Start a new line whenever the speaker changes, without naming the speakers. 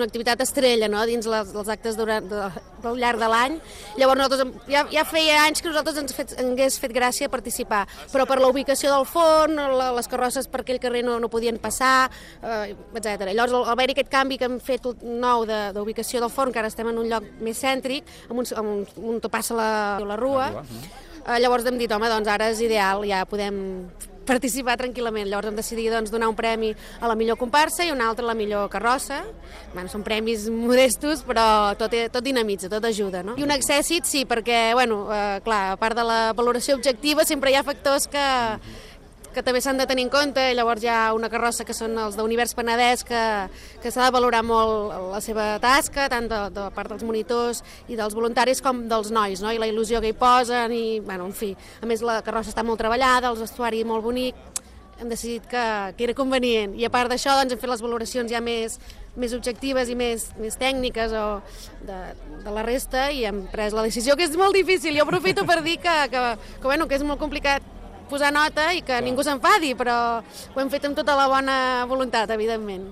Una activitat estrella, no?, dins dels actes del llarg de l'any. Llavors nosaltres ja feia anys que nosaltres ens hagués fet gràcia participar, però per la ubicació del forn, les carrosses per aquell carrer no podien passar, etc. Llavors al haver-hi aquest canvi que hem fet nou d'ubicació del forn, que ara estem en un lloc més cèntric, on passa la rua, llavors hem dit, home, doncs ara és ideal, ja podem participar tranquil·lament. Llavors hem decidit donar un premi a la millor comparsa i un altre a la millor carrossa. Són premis modestos, però tot dinamitza, tot ajuda, no? I un accèssit sí, perquè, clar, a part de la valoració objectiva, sempre hi ha factors que també s'han de tenir en compte. Llavors hi ha una carrossa que són els d'Univers Penedès, que s'ha de valorar molt la seva tasca, tant de part dels monitors i dels voluntaris com dels nois, no? I la il·lusió que hi posen, i, en fi, a més la carrossa està molt treballada, el vestuari molt bonic, hem decidit que era convenient. I a part d'això hem fet les valoracions ja més objectives i més tècniques de la resta, i hem pres la decisió, que és molt difícil. Jo aprofito per dir que és molt complicat posar nota i que ningú s'enfadi, però ho hem fet amb tota la bona voluntat, evidentment.